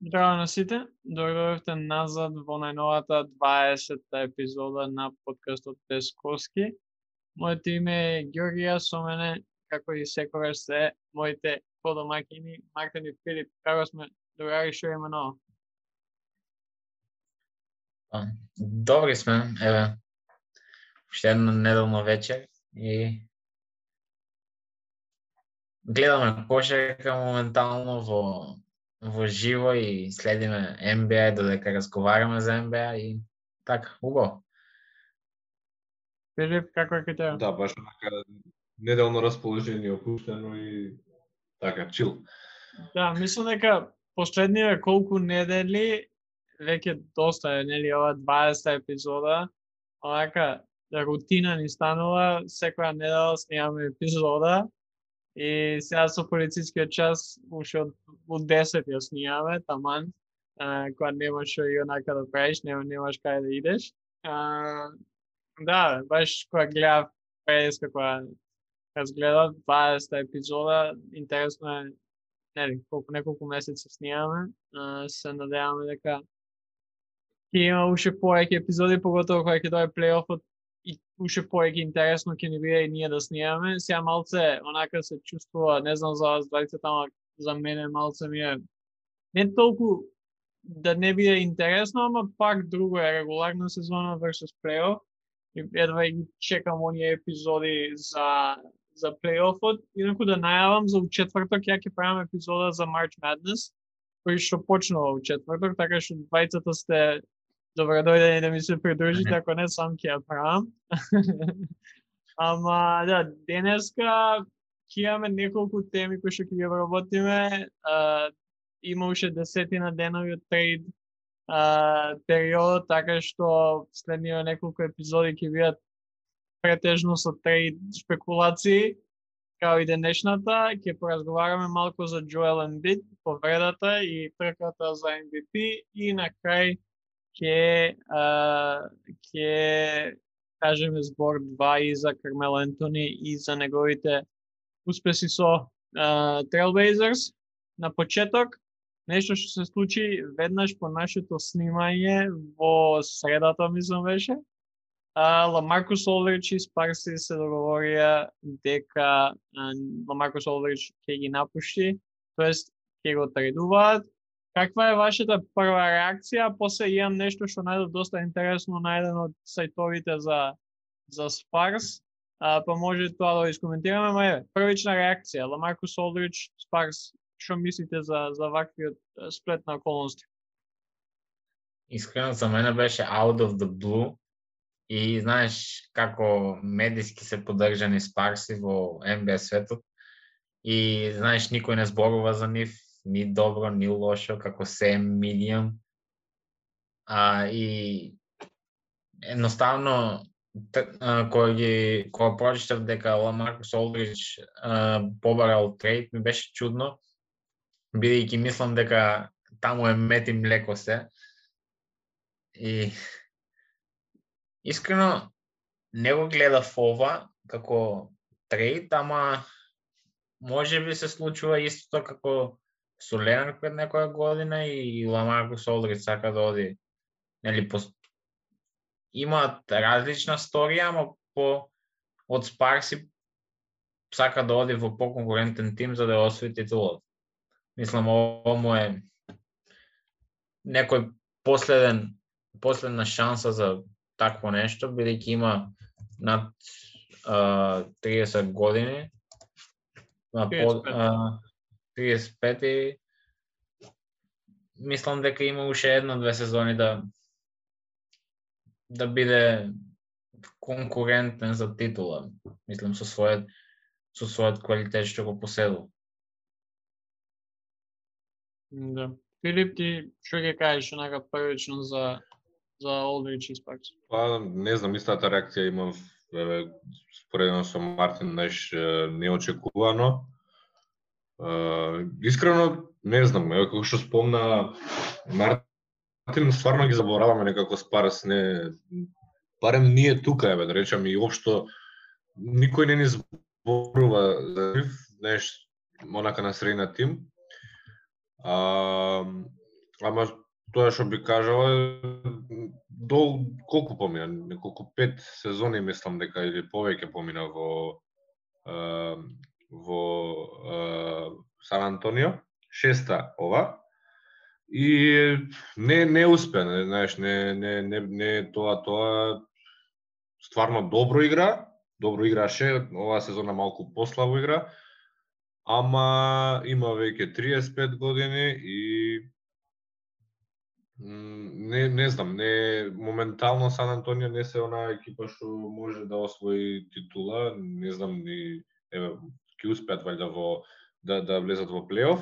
Здраво на сите, дојдовте назад во најновата 20-та епизода на подкастот Тесковски. Моето име е Ѓорѓија, со мене, како и секогаш се, моите подомаќини Мартин и Филип. Како сме, другари, што има ново? Добри сме, еве. Уште едно неделно вечер и гледаме кошарка моментално во живо и следиме NBA додека разговараме за NBA и така, убаво. Филип, како е кај тебе? Да, баш така неделно расположение опуштено и така чил. Да, мислам дека последниве колку недели веќе доста е, нели, ова 20-та епизода, онака рутина ни станува, секоја недела снимаме епизода и сега со полицискиот час уште од 10 ја снимаме, таман, кога немаш што и онака да правиш, немаш каде да идеш. Да, баш кога гледав преска, кога разгледав 20-та епизода, интересно е, нели, неколку месеци снимаме, се надеваме дека ќе има уште повеќе епизоди, поготово кога ќе дойде плейофот и уште повеќе интересно ќе ни биде и ние да снимаме. Сега малце онака се чувствува, не знам за вас двајцата, ама за мене малце ми е не толку да не биде интересно, ама пак друго е регуларна сезона versus плейоф. И едва ги чекам оние епизоди за плейофот. Инаку да најавам за четврток ја ќе правам епизода за March Madness, кој што почнува во четврток, така што двајцата сте добредојдени да ми се придружите, ако не сам ќе ја правам. Ама да, денеска ќе имаме неколку теми кои што ќе ги вработиме. Има уште 10 денови од трейд период, така што следниве неколку епизоди ќе бидат претежно со трейд спекулации, као и денешната. Ќе поразговараме малку за Джоел Ембид, повредата и трката за MVP и на крај ќе кажеме збор 2 и за Кармело Ентони и за неговите успеси со Trailblazers. На почеток, нешто што се случи веднаш по нашето снимање во средата, мислам беше. Ламаркус Олдридж и Спарси се договорија дека Ламаркус Олдридж ќе ги напушти, тоест ќе го трейдуваат. Каква е вашата прва реакција? После имам нешто што најдов доста интересно на еден од сајтовите за Спарс, па може тоа да го искоментираме, ама еве, првична реакција, Ламаркус Олдридж, Спарс, што мислите за ваквиот сплет на околности? Искрено за мене беше out of the blue и знаеш како медиски се поддржани Спарси во NBA светот и знаеш никој не зборува за нив, ни добро, ни лошо, како се медиум. И едноставно кога прочитав дека Ламаркус Олдридж побарал трейд, ми беше чудно, бидејќи мислам дека таму е мет и млеко се. И искрено не го гледав ова како трейд, ама може би се случува истото како со Ленард пред некоја година и Ламаркус Олдридж сака да оди. Нели, имаат различна сторија, ама од Спарси сака да оди во поконкурентен тим за да освои титулата. Мислам, ово му е некој последна шанса за такво нешто, бидејќи има над 30 години, 35 и мислам дека има уште една-две сезони да биде конкурентен за титула. Мислам со својот квалитет што го поседува. Да. Филип, ти што ќе кажеш онака првично за Олдридж и Спарс? Па не знам, истата реакција имав споредно со Мартин, неочекувано. Искрено не знам, како што спомна Мартин, стварно ги забораваме некако Спарс, барем ние тука, да речам, и општо никој не ни зборува за нив, онака на средина тим. Ама тоа што би кажала до колку помина, неколку 5 сезони мислам дека или повеќе помина во Сан Антонио, 6-та ова. И не успе, знаеш, не тоа стварно добро играше, оваа сезона малку послабо игра, ама има веќе 35 години и не знам, моментално Сан Антонио не се онаа екипа што може да освои титула, не знам ни ќе успеат валјда да влезат во плейоф.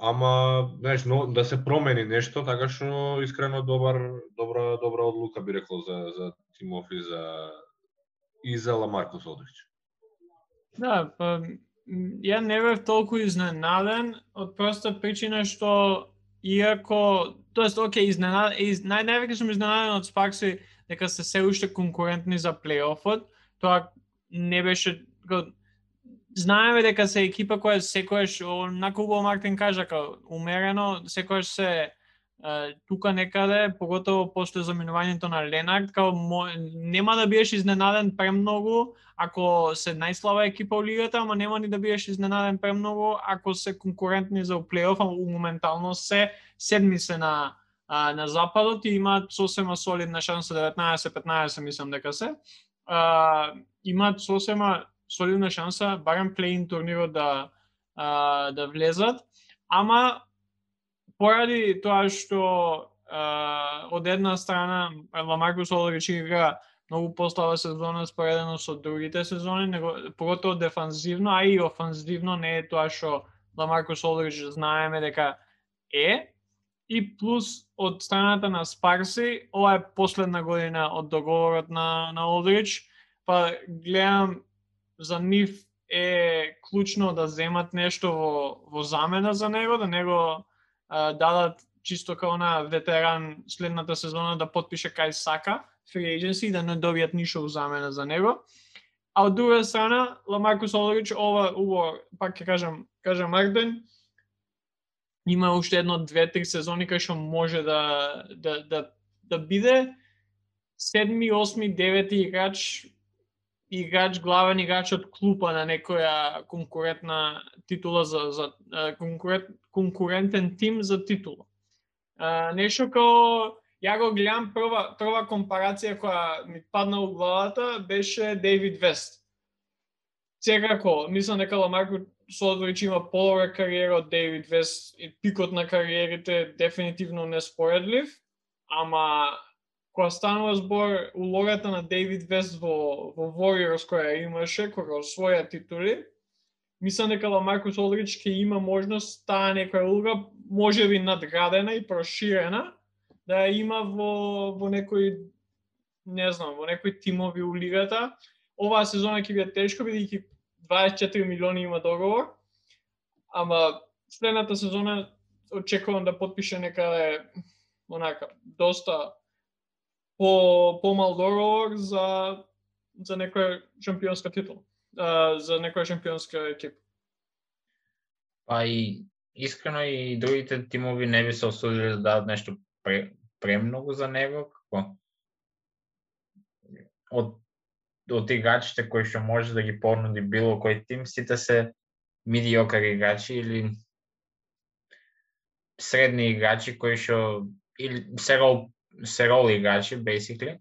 Ама, знаеш, да се промени нешто, така што искрено добра одлука би рекол за тимов и за Ламаркус Олдридж. Да, па ја не бев толку изненаден од проста причина што иако, тоест окей, највеќе сум изненаден од Спаркси дека се уште конкурентни за плейофот. Тоа не беше, знаеме дека се екипа која секојаш, онаку Убо Мартин кажа, умерено, секојаш се тука некаде, поготово после заминувањето на Ленард, нема да биеш изненаден премногу ако се најслаба екипа во лигата, ама нема ни да биеш изненаден премногу ако се конкурентни за плейоф, а моментално се седми се на западот и имаат сосема солидна шанса, 19-15 мислам дека се. Имаат сосема солидна шанса, барем плей-ин турнирот да влезат, ама поради тоа што од една страна Ламаркус Олдридж игра многу послаба сезона споредено со другите сезони, поготово дефанзивно, а и офанзивно не е тоа што Ламаркус Олдридж знаеме дека е. И плюс од страната на Спарси, ова е последна година од договорот на Олдридж, па гледам за нив е клучно да земат нешто во замена за него, да него дадат чисто као на ветеран следната сезона да потпише кај сака, free agency, да не добијат ништо во замена за него. А од друга страна, Ламаркус Олдридж, пак ќе кажам Мартин, има уште 1-2-3 сезони кај што може да биде 7, 8, 9 играч, главен играч од клупа на некоја конкурентна титула за конкурентен тим за титула. Нешто као ја го гледам прва компарација која ми падна у главата беше Дейвид Вест. Секако, мислам дека Ламаркус Олдридж има подобра кариера од Дейвид Вест и пикот на кариерите дефинитивно неспоредлив, ама кога станува збор улогата на Дейвид Вест во Warriors која имаше, кога освоја титули, мислам дека Ламаркус Олдридж ќе има можност таа некоја улога, можеби надградена и проширена, да има во некој, не знам, во некои тимови у лигата. Оваа сезона ќе биде тешко, бидејќи 24 милиони има договор, ама следната сезона очекувам да потпише некаде онака доста помал договор за некоја шампионска титула, за некоја шампионска екипа. Па и искрено и другите тимови не би се осудили да дадат нешто премногу за него, како од играчите кои што може да ги понуди било кој тим, сите се медиокар играчи или средни играчи кои што или се рол играчи basically.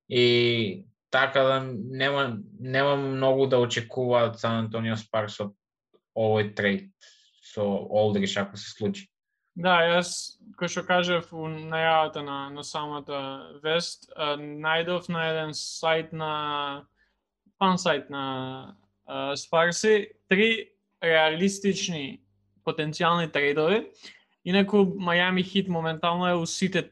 И така да нема многу да очекуваат Сан Антонио Спаркс од овој трейд со Олдридж ако се случи. Да, јас, кој што кажав у најавата на самата вест, најдов на еден сайт фан сайт на Спарси, 3 реалистични потенцијални трейдови. Инаку Мајами Хит моментално е у сите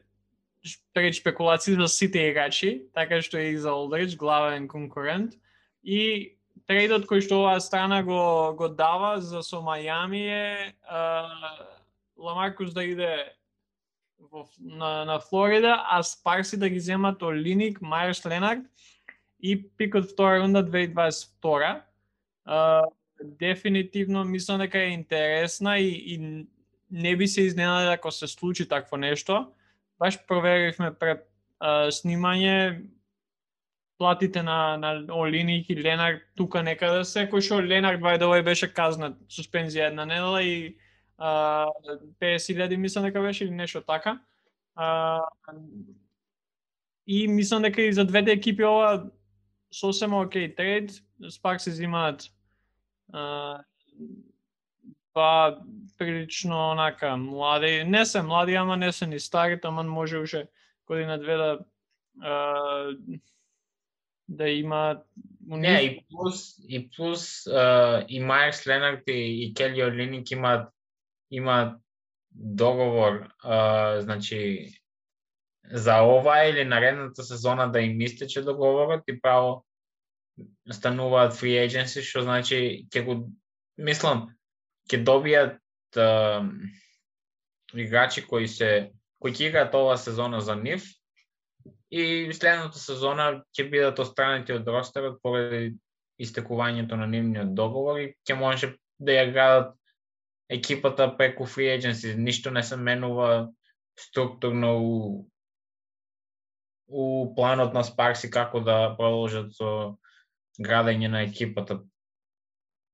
спекулации за сите играчи, така што е и за Олдридж, главен конкурент. И трейдот кој што оваа страна го дава за со Мајами е Ламаркус да иде на Флорида, а Спарси да ги земат Олиник, Мајерс Ленард и пикот втора рунда 2022. Дефинитивно мислам дека е интересна и не би се изненадил ако се случи такво нешто. Баш проверивме пред снимање платите на Олиник и Ленард тука некаде се, кој што Ленард вајдовај беше казнат суспензија една недела и 50.000 мислам дека беше или нешто така. И мислам дека и за двете екипи ова сосема окей трейд. Спак се зимаат па прилично онака млади, не се млади, ама не се ни стари, таман може уште година две да има Не, и плюс и Майерс Ленард и Кели Олиник имаат договор, значи за ова или наредната сезона да им истече договорот и право стануваат free agency, што значи ќе добијат играчи кои ќе играат оваа сезона за нив и следната сезона ќе бидат отстранети од ростерот поради истекувањето на нивниот договор и ќе може да ја градат екипата преку free agency. Ништо не се менува структурно у планот на Спарси како да продолжат со градење на екипата.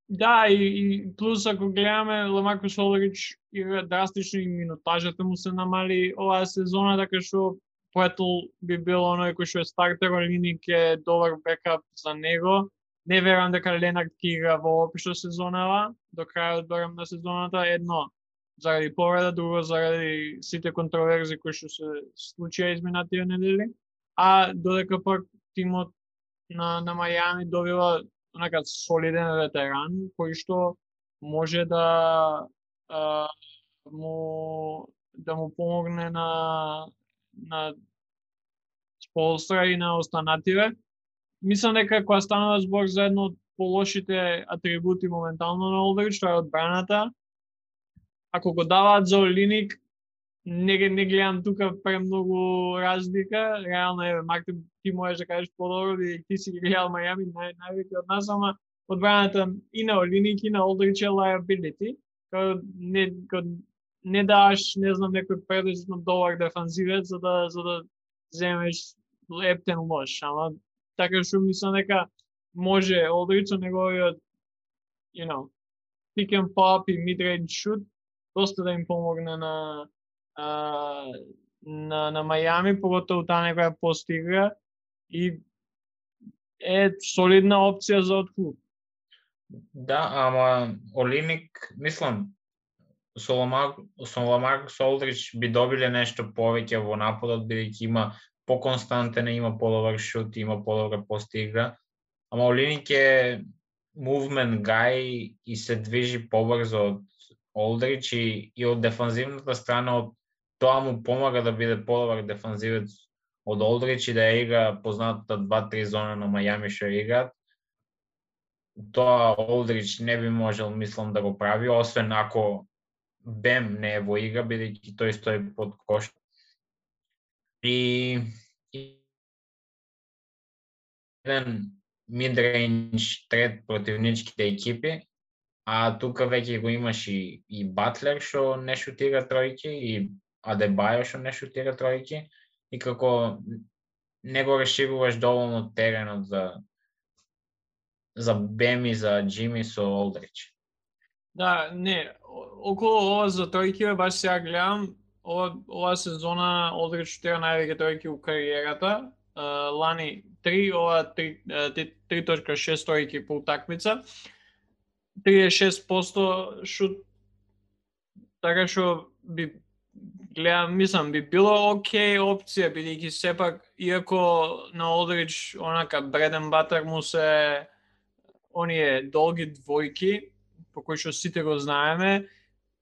Да, и плюс ако гледаме Ламаркус Олдрич игра драстично и минутажата му се намали оваа сезона, така што Поетл би бил оној кој што е стартер, Олиник е добар бекап за него. Не верувам дека Ленард ќе игра воопшто сезонава, до крајот барем на сезоната, едно заради повреда, друго заради сите контроверзи кои што се случија изминатите недели, а додека пак тимот на Мајами добива онака солиден ветеран кој што може да му помогне на Сполстра и на останативе. Мислам дека кога станува збор за едно од полошите атрибути моментално на Олдрич, тоа е одбраната. Ако го даваат за Олиник, не гледам тука премногу разлика. Реално е, Мартин, ти можеш да кажеш подобро, и ти си гледал Мајами највеќе од нас, ама одбраната и на Олиник и на Олдрич е liability. Не даваш, не знам, некој предвидно добар дефанзивец за да земеш ептен лош, ама така што мислам дека може Олдрич со неговиот pick and pop и mid-range shoot доста да им помогне на Мајами, поготово таа некоја постигра и е солидна опција за отклуб. Да, ама Олиник, мислам, со Ламаркус Олдрич би добиле нешто повеќе во нападот, бидејќи има поконстантен, има подобар шут, има подобра постигра. Ама Олиник е movement guy и се движи побрзо од Олдрич и од дефанзивната страна, од тоа му помага да биде подобар дефанзивец од Олдрич и да ја игра познатата 2-3 зона на Мајами што играат. Тоа Олдрич не би можел, мислам, да го прави, освен ако Бем не е во игра, бидејќи тој стои под кош. И еден mid-range трет против ничките екипи, а тука веќе го имаш и Батлер што не шутира тројки и Адебајо што не шутира тројки и како не го решируваш доволно теренот за Бем и за Джими со Олдрич. Да, не, околу ова за тројки баш сега гледам, ова сезона Олдрич шутира највеќе тројки у кариерата. Лани 3, ова 3.6 тројки по утакмица. 36% шут, така што би гледам, мислам, би било окей опција, бидејќи сепак, иако на Олдрич онака бреден батер му се оние долги двојки, по кои што сите го знаеме,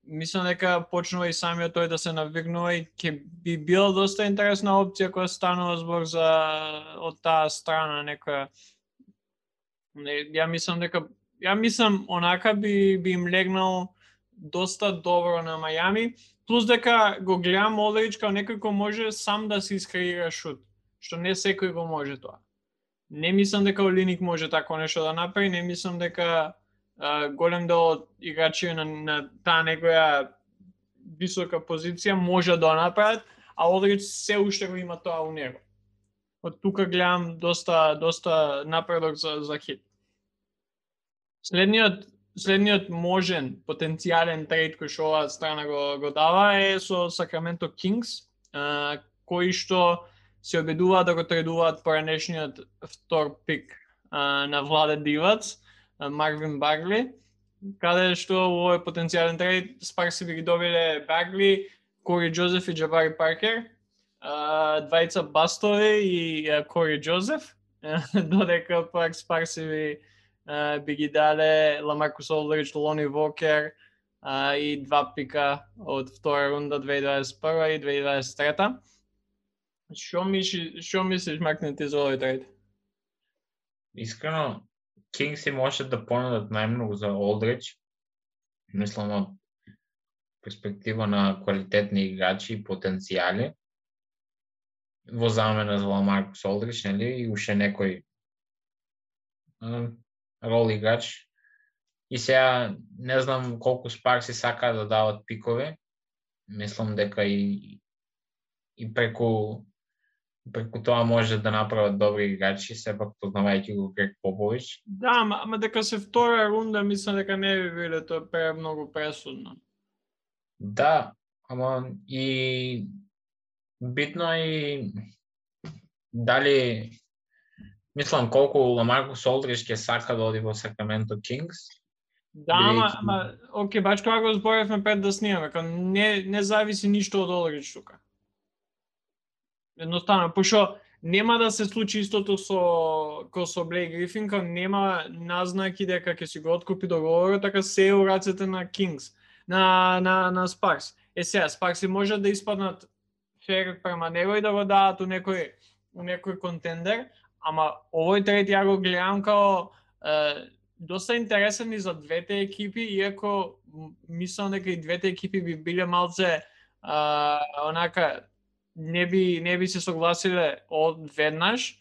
мислам дека почнува и самиот тој да се навигнува и ќе би била доста интересна опција кога станува збор за од таа страна некоја. Ја мислам онака би им легнал доста добро на Мајами, плюс дека го гледам Олдрич као некој кој може сам да се искреира шут, што не секој го може тоа. Не мислам дека Олиник може тако нешто да направи, не мислам дека голем дел од играчи на таа некоја висока позиција може да направат, а Олдрич се уште го има тоа у него. Од тука гледам доста напредок за Хит. Следниот можен потенцијален трейд кој што оваа страна го дава е со Сакраменто Кингс, кои што се обидуваат да го трейдуваат поранешниот втор пик на Владе Дивац, Марвин Багли, каде што во овој потенцијален трейд Спарси би ги добиле Багли, Кори Джозеф и Джабари Паркер, двајца Бастови и Кори Джозеф, додека пак Спарси би ги даде Ламаркус Олдрич, Лони Вокер и 2 пика од втора рунда 2021 и 2023. Што мислиш, Макнети, за овој трейд? Искрено, Кингси може да понудат најмногу за Олдрич. Мислам од перспектива на квалитетни играчи и потенцијали. Во замена за Ламаркус Олдрич, нели, и уште некој рол играч. И сега не знам колку Спарси сака да дават пикови. Мислам дека и преку тоа може да направат добри играчи, сепак познавајќи го Грег Попович. Да, ама дека се втора рунда, мислам дека не би биле тоа премногу пресудно. Да, ама и битно и дали мислам колку Ламаркус Олдрич ќе сака да оди во Сакраменто Кингс. Да, ама окей, бач кога го зборевме пред да снимаме, кога не зависи ништо од Олдрич тука. Едноставно, пошто нема да се случи истото со Блейк Грифин, кога нема назнаки дека ќе си го откупи договорот, така се е у рацете на Кингс, на Спарс. Сега, Спарси може да испаднат фер према него и да го дадат у некој контендер, ама овој трейд ја го гледам као доста интересен и за двете екипи, иако мислам дека и двете екипи би биле малце онака не би се согласиле одведнаш.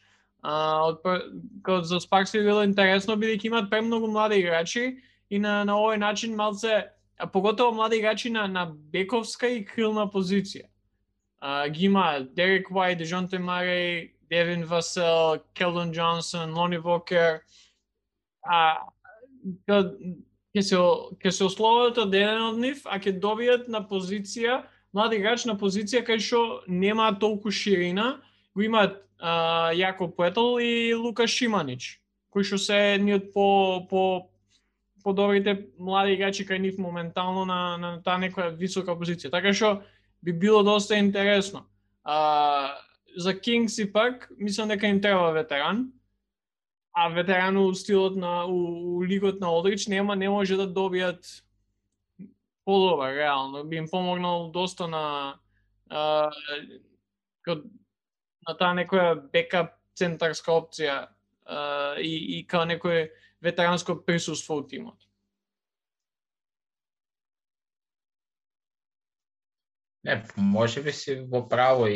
За Спаркс би било интересно бидејќи имаат премногу млади играчи и на овој начин малце, поготово млади играчи на бековска и крилна позиција. Ги има Дерек Уайт, Дежонте Марей, Девин Васел, Келдон Джонсон, Лони Вокер. Ќе се ословат од еден од нив, а ќе добијат на позиција млади играч на позиција кај што нема толку ширина, го имаат Јаков Пуетл и Лука Шиманич, кои што се едни од по добрите млади играчи кај нив моментално на таа некоја висока позиција. Така што би било доста интересно. За Кингс и пак, мислам дека им треба ветеран, а ветеран у стилот у лигот на Олдрич не може да добијат подобар, реално. Би им помогнал доста на таа некоја бекап центарска опција и као некој ветеранско присуство у тимот. Не, може би си во право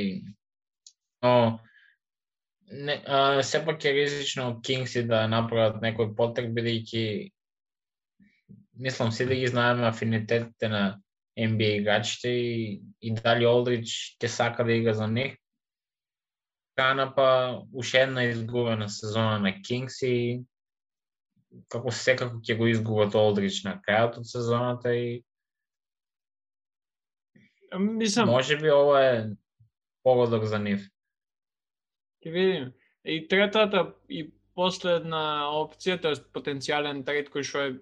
но сепак е ризично Кингси да направат некој потреб, бидејќи мислам си да ги знаеме афинитетите на NBA играчите и дали Олдрич ќе сака да игра за них. Па уште една изгубена сезона на Кингс и како секако ќе го изгубат Олдрич на крајот од сезоната и мислам, може би ова е погодок за нив. Ќе видиме. И третата и последна опција, тоа е потенцијален трейд кој што е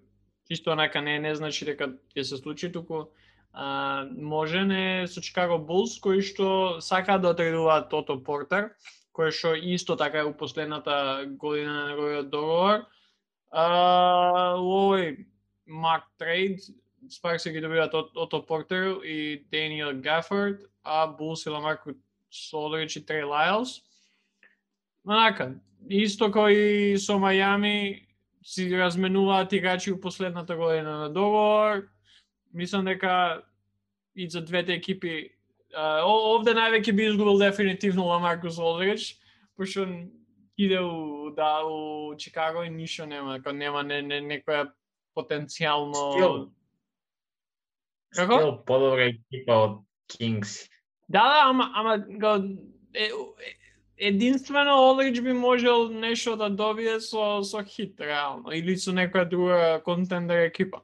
чисто онака не значи дека ќе се случи, туку можен е со Чикаго Булс, кои што сакаат да трейдуваат Тото Портер, кој што исто така е у последната година на неговиот договор. У овој мак трейд Спаркс ги добиваат Ото Портер и Даниел Гафорд, а Булс и Ламаркус Олдрич и Трей Лайлс. Онака, исто кој со Мајами си разменуваат играчи у последната година на договор. Мислам дека и за двете екипи овде највеќе би изгубил дефинитивно Ламаркус Олдрич, пошто иде у Чикаго и ништо нема, нема некоја потенцијално Стил подобра екипа од Кингс. Да, ама единствено Олдрич би можел нешто да добие со Хит, реално, или со некоја друга контендер екипа.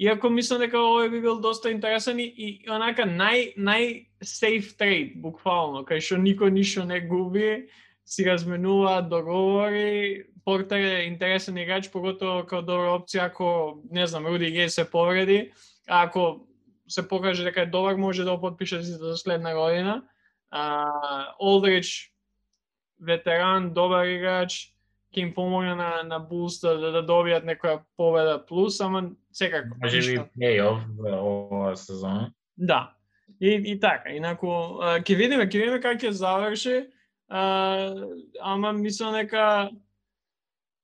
Иако мислам дека овој би бил доста интересен и онака нај-сейф трейд, буквално, кај што никој ништо не губи, си разменуваат договори, Портер е интересен играч, поготово као добра опција ако, не знам, Руди Гей се повреди, а ако се покаже дека е добар, може да го потпише за следна година. Олдрич, ветеран, добар играч, ќе им помогне на Булс да добијат некоја победа плюс, ама секако. Може би плей-оф оваа сезона. Да. И така, инаку ќе видиме како ќе заврши. Ама мислам дека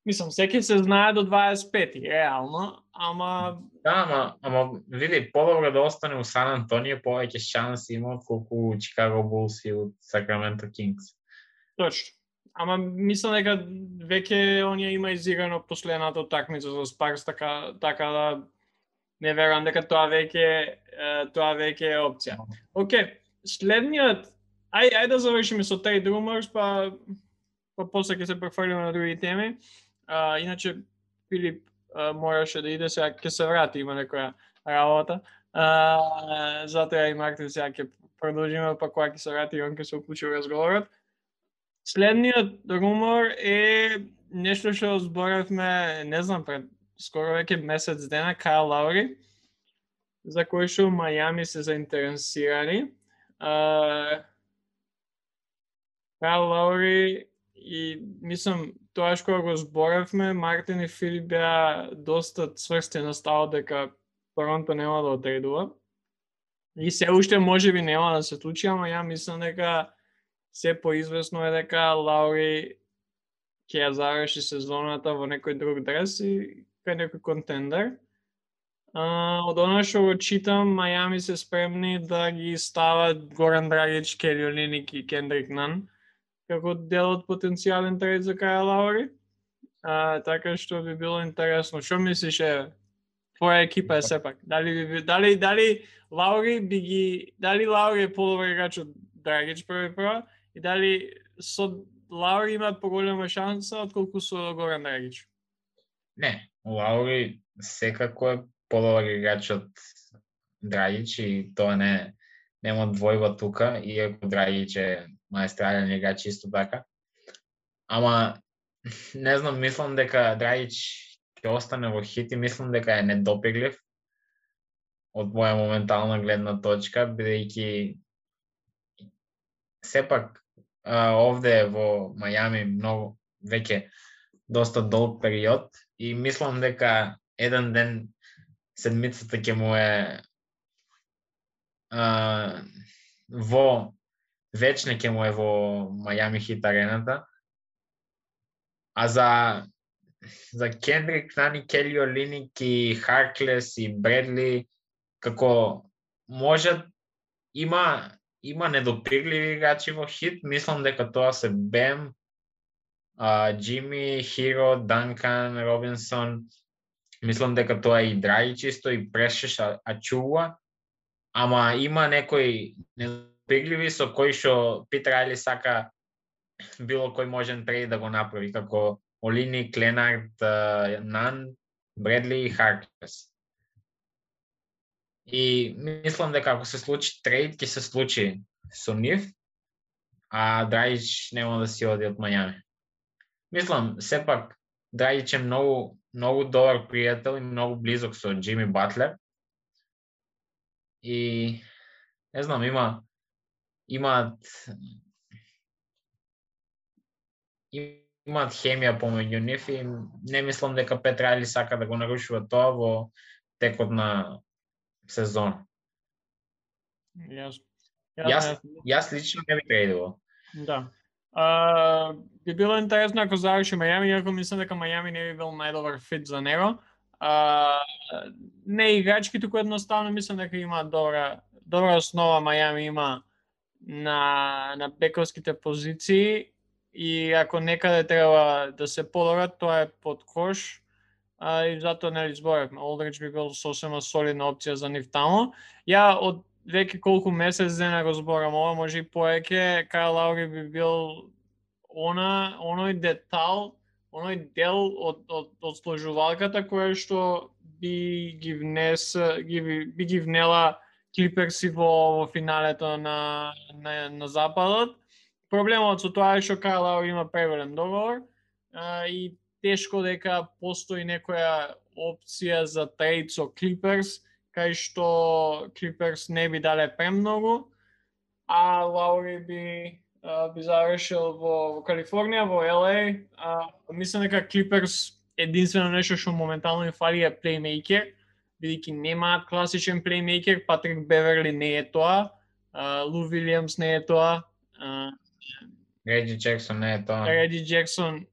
секој се знае до 25-ти, реално, ама ама види, подобро да остане у Сан Антонио, повеќе шанси има отколку Чикаго Булс и од Сакраменто Кингс. Точно. Ама мислам дека веќе оние има изиграно последната утакмица со Спарс, така да не верувам дека тоа веќе е опција. Океј, следниот ајде да завршиме со trade rumors, па после ќе се префрлиме на други теми. Иначе Филип мораше да иде, сега ќе се врати, има некоја работа. Затоа и Мартин сега ќе продолжиме, па кога ќе се врати, он ќе се уклучи во разговорот. Следниот румор е нешто што зборевме, не знам, пред скоро веќе месец дена, Кайл Лаури, за кој што Мајами се заинтересирани. Кайл Лаури и мислам, тоа што го зборевме, Мартин и Филип беа доста цврсти на ставот дека Торонто нема да отрейдува. И се уште можеби нема да се случи, ама ја мислам дека се поизвестно е дека Лаури ќе ја заврши сезоната во некој друг дрес и кај некој контендер. Од она што го читам, Мајами се спремни да ги стават Горан Драгич, Кели Олиник и Кендрик Нан како дел од потенцијален трейд за Кайл Лаури. Така што би било интересно. Што мислиш, твоја екипа е сепак? Дали Лаури е подобар играч од Драгич прва и дали со Лаури имаат поголема шанса отколку со Горан Драгич? Не, Лаури секако е подобар играч од Драгич и тоа нема двојба тука, иако Драгич е маестрален играч исто така. Ама не знам, мислам дека Драгич ќе остане во Хит и мислам дека е недопеглив од моја моментална гледна точка, бидејќи сепак овде во Мајами многу веќе доста долг период и мислам дека еден ден седмицата ќе му е вечне ќе му е во Мајами Хит арената. А за Кендрик Нан, Кели Олиник и Харклес и Бредли, како можат, има недопирливи играчи во Хит, мислам дека тоа се Бем, Джими, Хиро, Данкан, Робинсон, мислам дека тоа и Драги чисто и Прешеш Ачуа, ама има некои недопирливи со кои што Питер Рајли сака било кој можен трейд да го направи, како Олиник, Ленард, Нан, Бредли и Харклес. И мислам дека ако се случи трейд, ќе се случи со нив, а Драгич нема да си оди од Мајами. Мислам, сепак Драгич е многу добар пријател и многу близок со Джими Батлер. И не знам, имаат хемија помеѓу нив и не мислам дека Пет Рајли сака да го нарушува тоа во текот на сезон. Јас лично не би трейдувал. Да. Би било интересно ако заврши Мајами, иако мислам дека Мајами не би бил најдобар фит за него. Не играчки, туку едноставно мислам дека има добра основа Мајами има на бековските позиции и ако некаде треба да се подобрат, тоа е под кош. и затоа нели зборевме, Олдрич би бил сосема солидна опција за нив таму. Ја од веќе колку месец дена го зборам ова, може и повеќе, Кайл Лаури би бил оној детал, оној дел од сложувалката која што би ги внела Клиперси во финалето на западот. Проблемот со тоа е што Кайл Лаури има преголем договор и тешко дека постои некоја опција за трейд со Клиперс, кај што Клиперс не би дале премногу, а Лаури би завршил во Калифорнија, во LA. Мислам дека Клиперс единствено нешто што моментално им фали е плеймејкер, бидејќи немаат класичен плеймејкер, Патрик Беверли не е тоа, Лу Вилијамс не е тоа, Реджи Джексон не е тоа. Реджи Джексон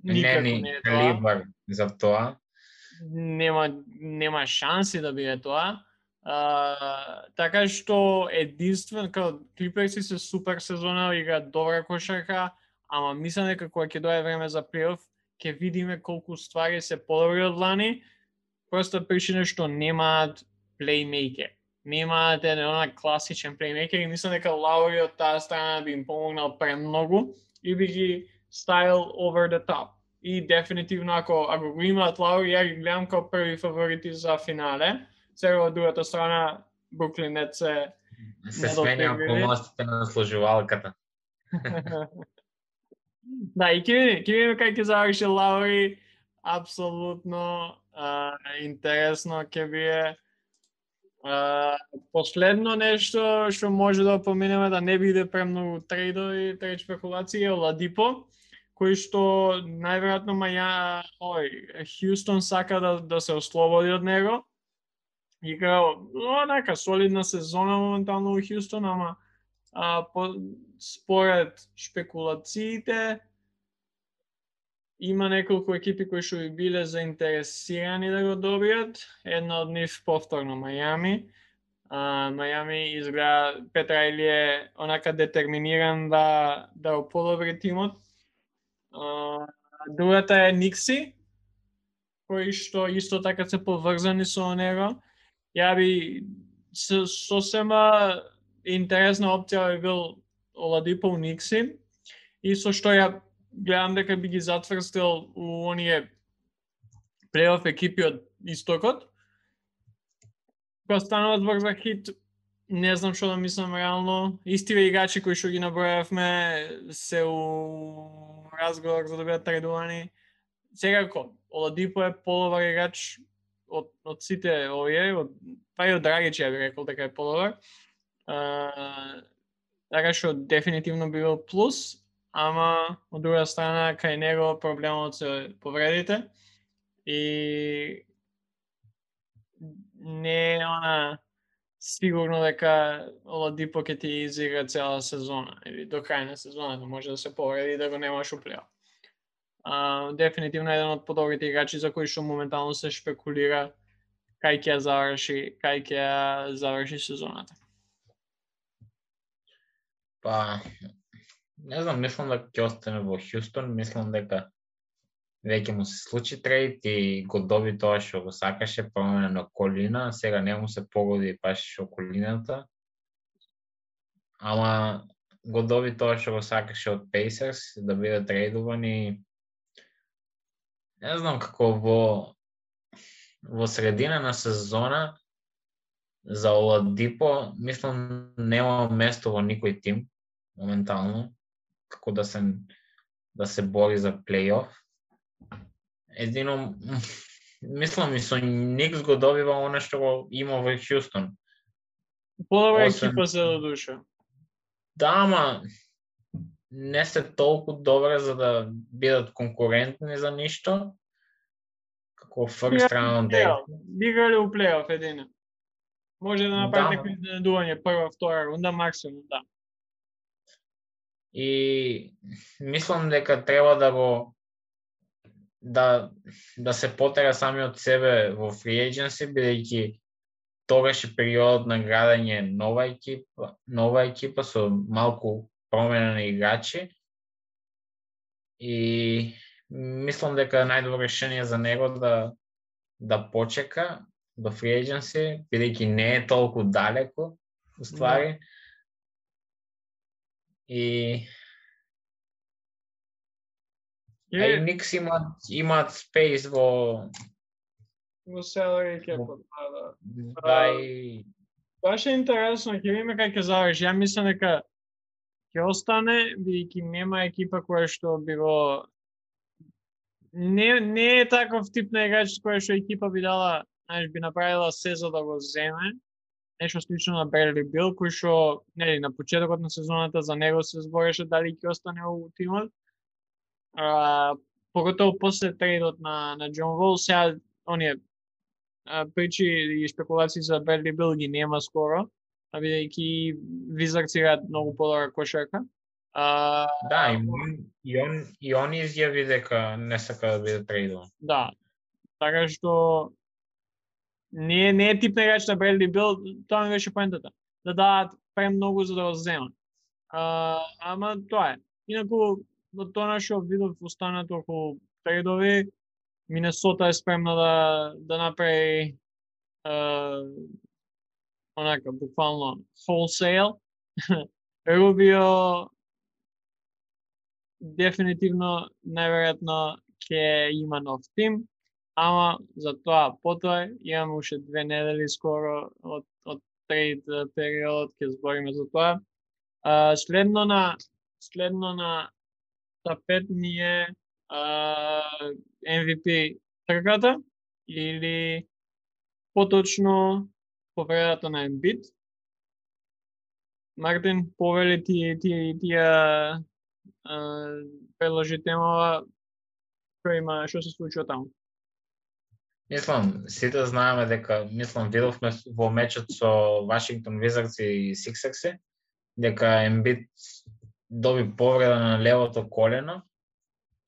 никако не е тоа. Калибар за тоа. Нема шанси да биде тоа. Така што единствено као Клиперси се супер сезона, играат добра кошарка, ама мислам дека кога ќе дое време за плейоф, ќе видиме колку ствари се подобри од лани. Проста причина што немаат плеймејкер. Немаат една класичен плеймејкер и мислам дека Лаури од таа страна би им помогнал премногу и би ги ставил over the top. И дефинитивно ако го имаат Лаури, ја ги гледам као први фаворити за финале. Сега од другата страна Бруклин Нетс се сменја околностите на сложувалката. Да, и ќе видиме кај ќе заврши Лаури. Апсолутно интересно ќе биде. Последно нешто што може да поминеме, да не биде премногу трейдови, трейд спекулации, е Оладипо, кој што најверојатно Хјустон сака да се ослободи од него. Играл онака солидна сезона моментално во Хјустон, ама според шпекулациите има неколку екипи кои што би биле заинтересирани да го добијат. Една од нив повторно Мајами. Мајами изгледа Пет Рајли е онака детерминиран да го подобри тимот. Другата е Никси, кои што исто така се поврзани со него. Ја би сосема интересна опција би бил Оладипо у Никси, и со што ја гледам дека би ги затврстил у оние плейоф екипи од истокот. Кога станува збор за хит, не знам што да мислам реално. Истиве играчи кои што ги набројавме се у разговор за да бидат трейдувани. Секако, Оладипо е подобар играч од сите овие, па и од Драгич ја би рекол дека е подобар. Така што дефинитивно би бил плюс, ама од друга страна кај него проблемот се повредите и не е сигурно дека Оладипо ќе ти изигра цела сезона или до крај на сезоната, може да се повреди и да го немаш у плейоф. Дефинитивно еден од подобрите играчи за кои што моментално се шпекулира кај ќе заврши сезоната. Па не знам, мислам дека ќе остане во Хјустон, мислам дека веќе му се случи трейд и го доби тоа што го сакаше, промена на колина, сега не му се погоди баш околината. Ама го доби тоа што го сакаше од Pacers, да биде трейдуван и не знам како во средина на сезона за Оладипо, мислам нема место во никој тим моментално, како да се бори за плейоф. Едино, мислам и со Никс го добива оно што го има во Хјустон. Подобра екипа се до душа. Да, ама не се толку добре за да бидат конкурентни за ништо. Како first round day. Играли у плейоф едино. Може да направи некој изненадување прва, втора рунда, максимум, да. И мислам дека треба да се потера сами од себе во free agency, бидејќи тогаш е периодот на градење нова екипа со малку промена на играчи. И мислам дека најдобро решение за него да почека до free agency, бидејќи не е толку далеко, уствари. И Никс имаат спейс во salary cap. Баш е интересно, ќе видиме како ќе заврши. Ја мислам дека ќе остане, бидејќи нема екипа која што би го не е таков тип на играч која што екипа би дала, знаеш, би направила се за да го земе. Нешто слично на Бредли Бил, кој што нели на почетокот на сезоната за него се збореше дали ќе остане во тимот. Поготово после трейдот на Џон Вол, сега оние причи и спекулации за Бредли Бил ги нема скоро, бидејќи Визардс играат многу подобра кошарка. Да, и он изјави дека не сака да биде трейдован. Да, така што не е тип на играч на Бредли Бил, тоа ми беше поентата. Да дадат премногу за да го земат. Ама тоа е. Инаку, до тоа што видов останато околу трейдови, Минесота е спремна да направи онака, буквално wholesale. Рубио дефинитивно, најверојатно, ќе има нов тим, ама за тоа потоа имаме уште 2 недели скоро од трейд периодот, ќе збориме за тоа. Следно на тапет ни е MVP трката или поточно повредата на Ембит. Мартин, повели тие предложи темава, што се случува таму? Мислам, сите знаеме дека, видовме во мечот со Вашингтон Визардс и Сиксерси, дека Ембит доби повреда на левото колено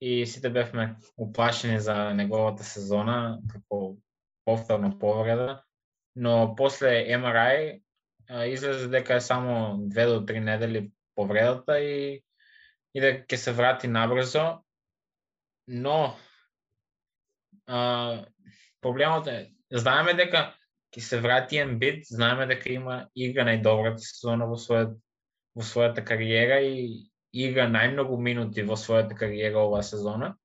и сите бевме уплашени за неговата сезона, како повторна повреда, но после MRI излезе дека е само 2 до 3 недели повредата и дека ќе се врати набрзо, но проблемот е, знаеме дека ќе се врати Ембит, знаеме дека игра најдобрата сезона во својата кариера и игра најмногу минути во својата кариера оваа сезона.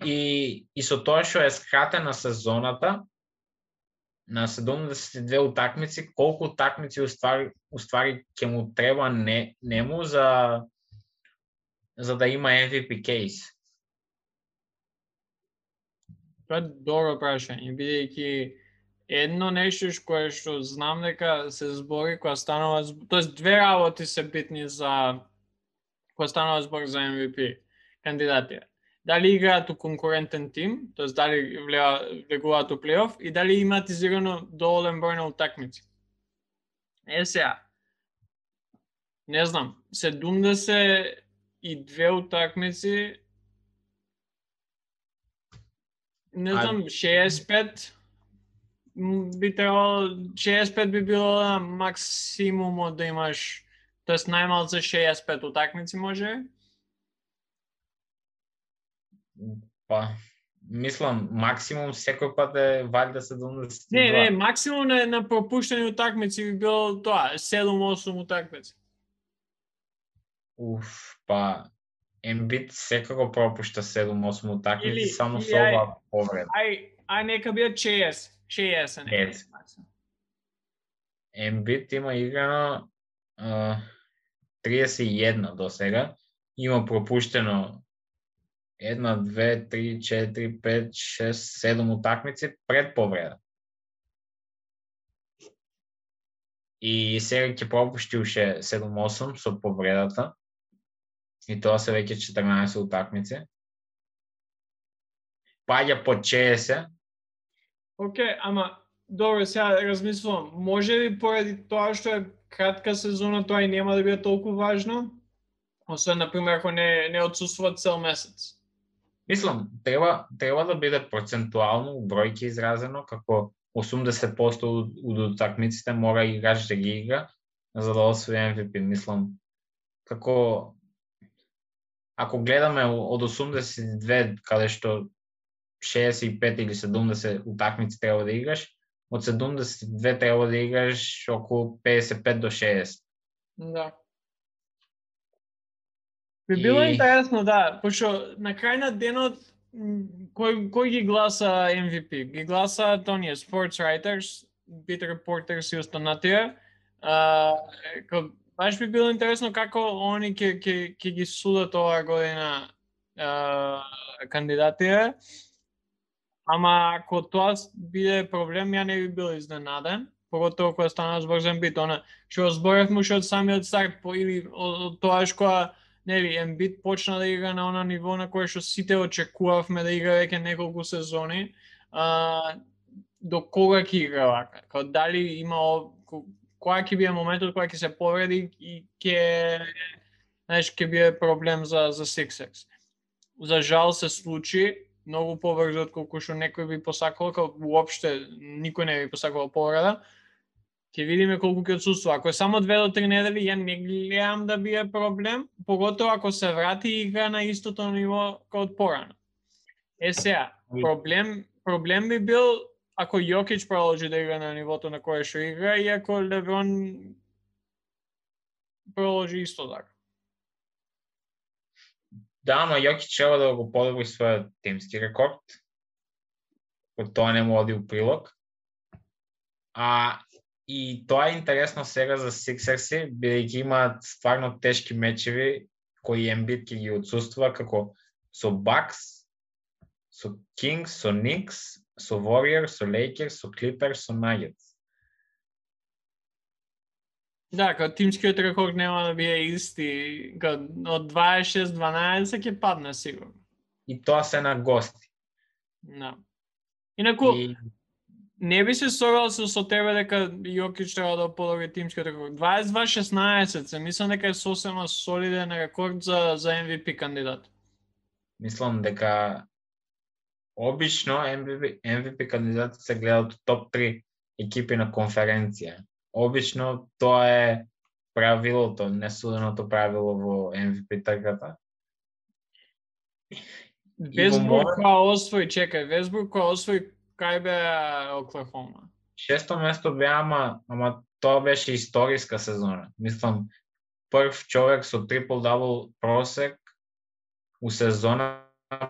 И со тоа што е скратена сезоната на 72 утакмици, колку утакмици уствари ќе му треба нему за да има MVP кейс? Тоа е добро прашање, бидејќи едно нешто кое што знам дека се збори кога станува, тоест две работи се битни за кога станува збор за MVP кандидатите. Дали играат у конкурентен тим, тоест дали влегуваат у плейоф и дали имаат изиграно доволен број на утакмици. Сега, не знам, 72 утакмици, не знам, 65 би требало, 65 би било максимумот да имаш, тоест најмалце 65 утакмици може? Па, мислам, максимум секој пат е валјда 72. Не, максимум на пропуштени утакмици би било тоа, 7-8 утакмици. Па, Ембит секако пропушта 7-8 утакмици само со оваа повреда. Ај нека бидат 60 нека. Ембит има играно 31 до сега, има пропуштено 1, 2, 3, 4, 5, 6, 7 утакмици пред повреда. И сега ќе пропушти уште 7-8 со повредата. И тоа се веќе 14 утакмици. Паѓа по 60. Океј, ама добро, сега размислувам. Може ли поради тоа што е кратка сезона, тоа и нема да биде толку важно? Освен, например, ако не отсуствува цел месец. Мислам, треба да биде процентуално бројки изразено, како 80% од утакмиците мора играч да ги игра за да освои MVP. Мислам, како ако гледаме од 82 каде што 65 или 70 утакмици треба да играш, од 72 треба да играш околу 55 до 60. Да. Би било интересно, да, пошто на крај на денот кој ги гласа MVP? Ги гласа тоние sports writers, beat reporters и останатија. Баш би било интересно како они ќе ги судат оваа година кандидатите. Ама ако тоа биде проблем, ја не би бил изненаден, поготово кога стана збор за Ембит, што зборевме уште од самиот старт или од тоа кога нели Ембит почна да игра на она ниво на кое што сите очекувавме да игра веќе неколку сезони, до кога ќе игра вака? Као дали има која ќе биде моментот кога ќе се повреди и ќе биде проблем за Sixers. За жал се случи многу побрзо отколку што некој би посакал, као уопште никој не би посакал повреда. Ќе видиме колку ќе отсуства. Ако е само 2 до 3 недели, ја не гледам да биде проблем, поготово ако се врати и игра на истото ниво како од порано. Сега, проблем би бил ако Јокич продолжи да игра на нивото на кое што игра и ако Леброн продолжи исто така. Да, ама Јокич треба да го подобри својот тимски рекорд. Од тоа не му оди у прилог. И тоа е интересно сега за Сиксерси, бидејќи имаат стварно тешки мечеви кои Ембит ќе ги отсуствува, како со Бакс, со Кингс, со Никс, со Warriors, со Lakers, со Clippers, со Nuggets. Да, као тимскиот рекорд нема да биде исти, од 26-12 ќе падне сигурно. И тоа се на гости. Да. Инаку, не би се согласил со тебе дека Јокич треба да подобри тимскиот рекорд. 22-16, се мислам дека е сосема солиден рекорд за MVP кандидат. Мислам дека обично MVP кандидатите се гледаат од топ 3 екипи на конференција. Обично тоа е правилото, несуденото правило во MVP трката. Весбрук која освои кај беа Оклахома? 6-то место беа, ама тоа беше историска сезона. Мислам, прв човек со трипл-дабл просек у сезона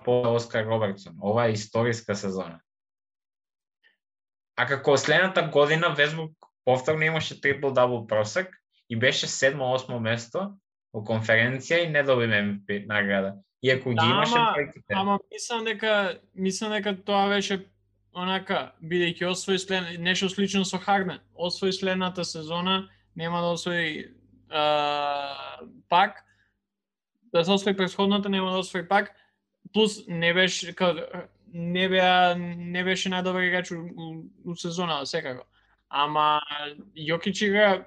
по Оскар Робертсон. Ова е историска сезона. А како следната година Весбрук повторно имаше трипл-дабл просек и беше 7-8 место во конференција и не доби MVP награда. Иако ги имаше проектите. Ама мислам дека тоа беше онака, бидејќи освои нешто слично со Харден. Освои следната сезона, нема да освои пак. Да се освои претходната, нема да освои пак. Плюс не беше најдобар играч у сезона, секако. Ама Јокич игра,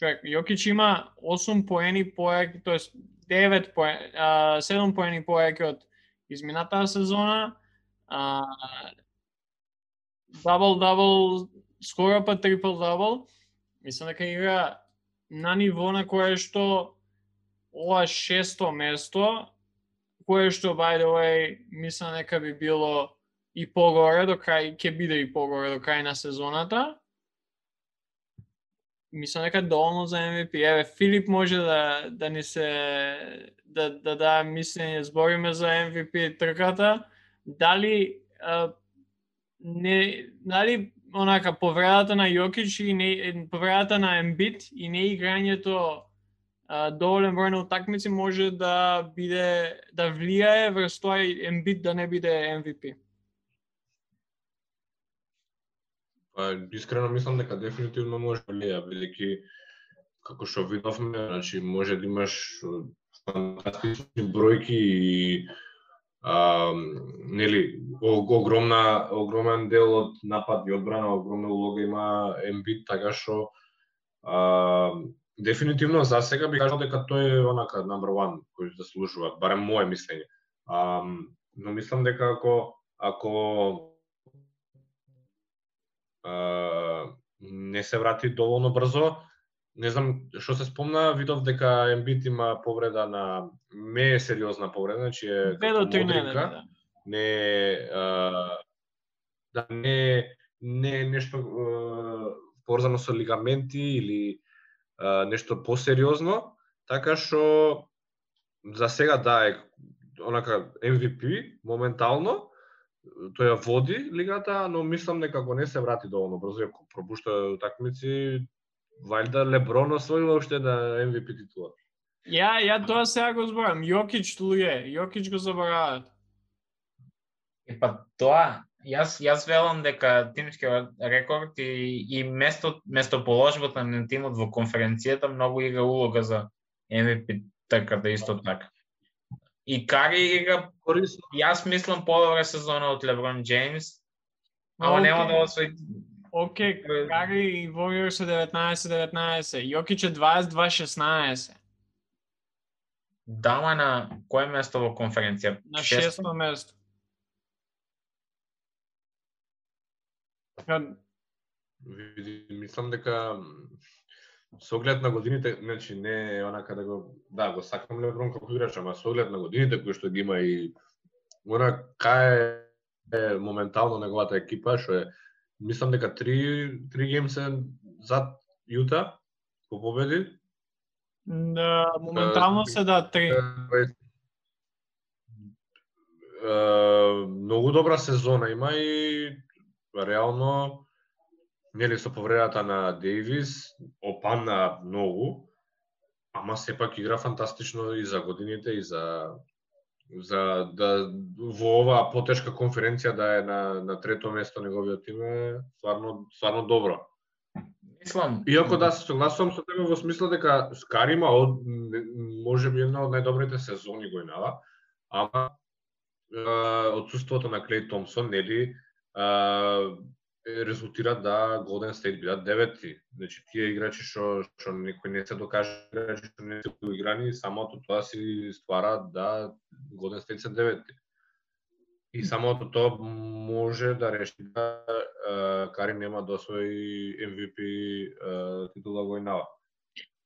Јокич има 8 поени поеќе, тоест 7 поени поеќе од изминатата сезона. Дабл-дабл, скоро па трипл-дабл. Мислам дека игра на ниво на кое што ова 6-то место, кое што, by the way, мислам дека би било и погоре до крај, ќе биде и погоре до крај на сезоната. Мислам дека доволно за MVP. Еве, Филип може да ни се да мислење, збориме за MVP трката. Дали онака повредата на Јокич и повредата на Ембит и не играњето доволен број на утакмици може да влијае врз тоа Ембит да не биде MVP. Искрено мислам дека дефинитивно може да влијае, бидејќи како што видовме, значи може да имаш фантастични бројки и нели огромен дел од напад и одбрана, огромна улога има Ембит, така што дефинитивно за сега би кажал дека тој е онака number one кој заслужува, барем мое мислење. Но мислам дека ако не се врати доволно брзо, не знам што се спомна, видов дека Ембит има повреда не е сериозна повреда, значи е како модрика. не е нешто поврзано со лигаменти или нешто посериозно, така што за сега е онака MVP моментално, тој ја води лигата, но мислам дека ако не се врати доволно брзо, ако пропушта утакмици, валјда Леброн освоила уште на MVP титула. Ја тоа сега го зборам. Јокич го заборават. Па тоа, јас велам дека тимскиот рекорд и местоположбата на тимот во конференцијата многу игра улога за MVP трката исто така. И Кари игра, јас мислам подобра сезона од Леброн Джеймс, ама нема да освои. Океј, Кари и Warriors е 19-19, Јокич е 22-16. Дама на кое место во конференција? На 6-то место. Мислам дека со оглед на годините, значи не е онака да го сакам Леброн како играч, ама со оглед на годините кои што ги има и кај е моментално неговата екипа, што е мислам дека 3 геймс зад Јута по победи. Моментално се 3. Многу добра сезона има и реално нели со повредата на Дейвис опадна многу, ама сепак игра фантастично и за годините и за да во оваа потешка конференција да е на трето место неговиот тим е стварно добро. Мислам, иако да се согласувам со тебе во смисла дека Кари има можеби една од најдобрите сезони го имала, ама отсуството на Клей Томпсон нели резултира да Голден Стейт бидат 9-ти. Значи тие играчи што некои не се докажа, играчи што не се играни, самото тоа си ствара да Голден Стейт се 9-ти. И самото тоа може да реши да Кари нема да освои MVP титула во Инава.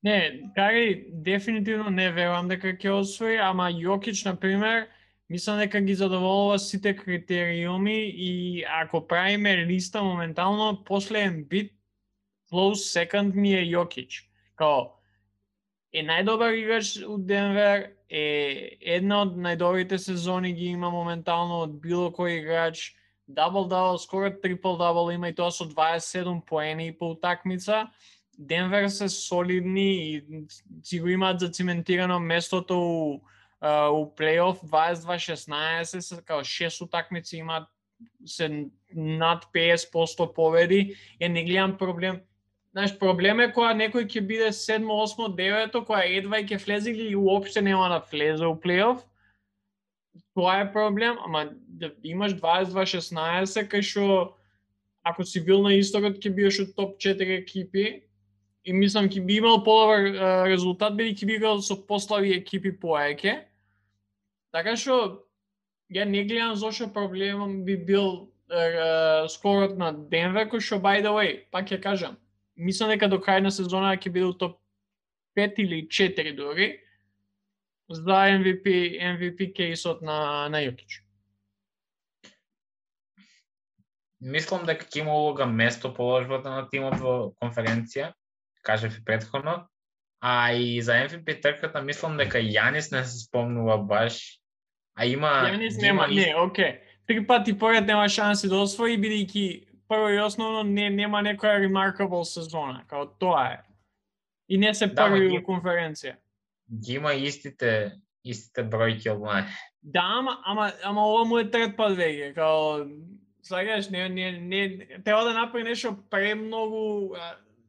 Не, Кари дефинитивно не верувам дека ќе освои, ама Јокич на пример мислам дека ги задоволува сите критериуми и ако правиме листа моментално, после Ембит, close second ми е Јокич. Као, е најдобар играч од Денвер, е една од најдобрите сезони ги има моментално од било кој играч, дабл-дабл, скоро трипл-дабл има и тоа со 27 поени по утакмица. Денвер се солидни и си го имаат зациментирано местото у плейоф 22-16, као 6 утакмици имаат се над 50% победи. Ја не гледам проблем. Знаеш, проблем е кога некој ќе биде 7, 8, 9, кога едва ќе влезе или уопште нема да влезе у плейоф. Тоа е проблем, ама да имаш 22-16, кај што ако си бил на истокот ќе бидеш од топ 4 екипи и мислам ќе би имал подобар резултат бидејќи би играл со послаби екипи поеќе. Така што ја не гледам зошто проблемот би бил скорот на Денвер, кој што by the way, пак ќе кажам, мислам дека до крај на сезона ќе биде топ 5 или 4 дори за MVP кейсот на Јокич. Мислам дека ќе има улога местоположбата на тимот во конференција, кажав и претходно, а и за MVP трката мислам дека Јанис не се спомнува баш, а има Јанис нема, окей. 3 пати поред нема шанси да освои бидејќи прво и основно нема некоја remarkable сезона, као тоа е. И не се први во конференција. Ги има истите бројки од мае. Да, ама ова му е трет пат веќе, као сакаш не треба да направи нешто премногу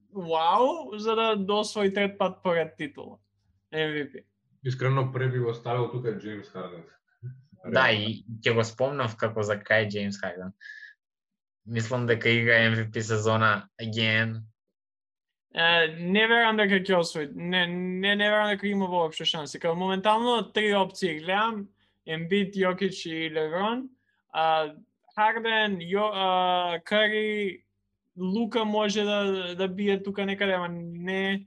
вау за да освои трет пат поред титула. MVP. Искрено преби го ставил тука Джеймс Харден. Да, и ќе го спомнав како за крај Джеймс Харден. Мислам дека игра MVP сезона again. Не верувам дека ќе освои. Не верувам дека има воопшто шанси. Као моментално 3 опции гледам: Ембит, Јокич и Леброн. Харден, Кари, Лука може да бие тука некаде, ама не.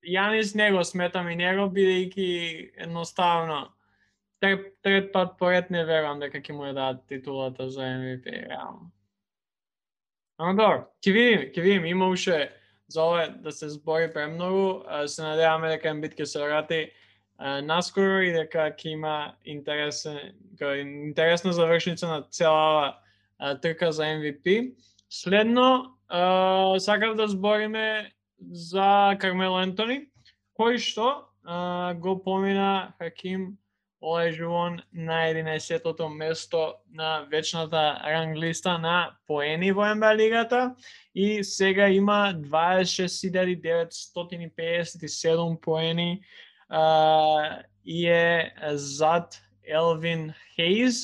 Јанис не го сметам и него, бидејќи едноставно трет пат поред не верувам дека ќе му ја дадат титулата за MVP, реално. Ама добро, ќе видим, има уште за ова да се збори премногу, се надеваме дека Ембит ќе се врати наскоро и дека ќе има интересна завршница на цела трка за MVP. Следно, сакав да збориме за Кармело Антони, кој што го помина Хаким Олајжувон на 11-тото место на вечната ранглиста на поени во НБА лигата и сега има 26.957 поени и е зад Елвин Хейз.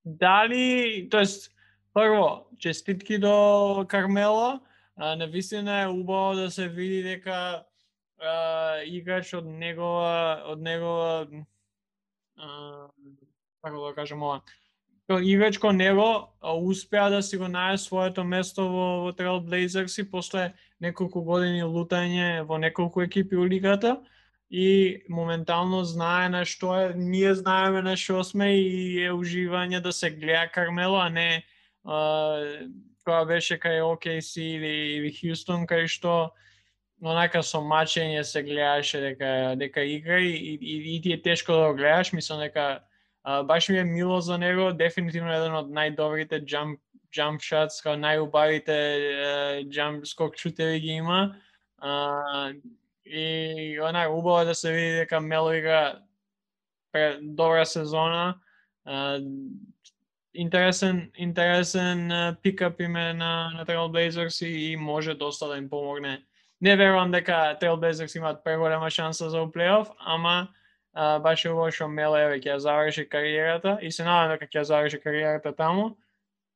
Дали, тоест, прво, честитки до Кармело, навистина е убаво да се види дека играч од негова како да кажем ова, играч кој него успеа да си го најде своето место во Trail Blazers и после неколку години лутање во неколку екипи у лигата и моментално знае на што е, ние знаеме на што сме и е уживање да се гледа Кармело, а не кога беше кај OKC или Хјустон, кај што онака со мачење се гледаше дека игра и ти е тешко да го гледаш, мислам дека баш ми е мило за него, дефинитивно еден од најдобрите jump shots, као најубавите jump скок шутеви ги има. И онака убаво да се види дека Мело игра добра сезона. Интересен пикап име на Trail Blazers и може доста да им помогне. Не верувам дека Trail Blazers имаат преголема шанса за плейоф, ама баш е убаво што Мело ќе заврши кариерата и се надам дека ќе заврши кариерата таму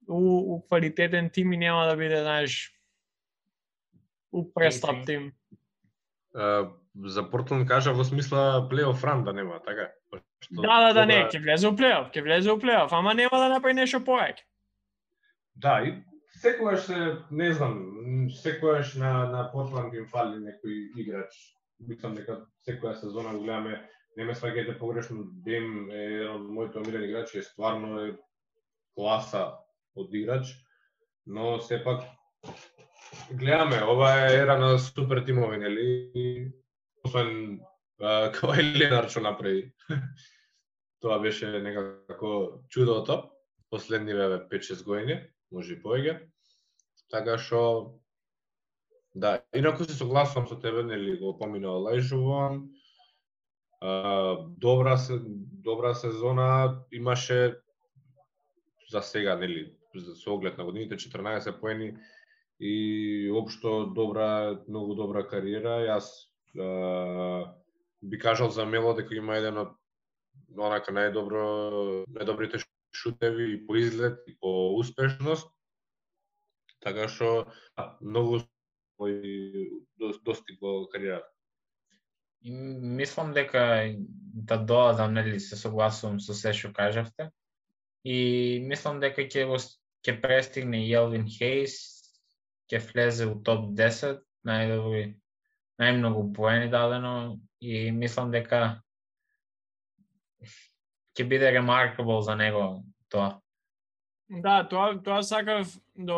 у квалитетен тим и нема да биде, знаеш, у престап тим. За Портланд кажа во смисла плейоф ран да нема, така? Да, не, ќе влезе у плейоф, ама нема да направи нешто повеќе. Да, и секогаш не знам, секогаш на Портланд им фали некој играч. Мислам дека секоја сезона го гледаме, не ме сваќајте погрешно, Дем е еден од моите омилени играчи, е стварно класа од играч, но сепак гледаме, ова е ера на супер тимови, нели? Освен Кавај Ленард што направи. Тоа беше некако чудото, последниве 5-6 години, може и повеќе. Така што да, инаку се согласувам со тебе, нели, го помина Олајжувон. Добра сезона имаше за сега, нели, со оглед на годините, 14 поени и општо многу добра кариера. Јас би кажал за Мело дека има еден од онака најдобрите шутеви и по изглед и по успешност. Така што многу достигло кариерата. Мислам дека да додадам, нели, се согласувам со се што кажавте. И мислам дека ќе престигне Елвин Хейс, ќе влезе у топ 10, најмногу поени дадено и мислам дека ќе биде remarkable за него тоа. Да, тоа сакав да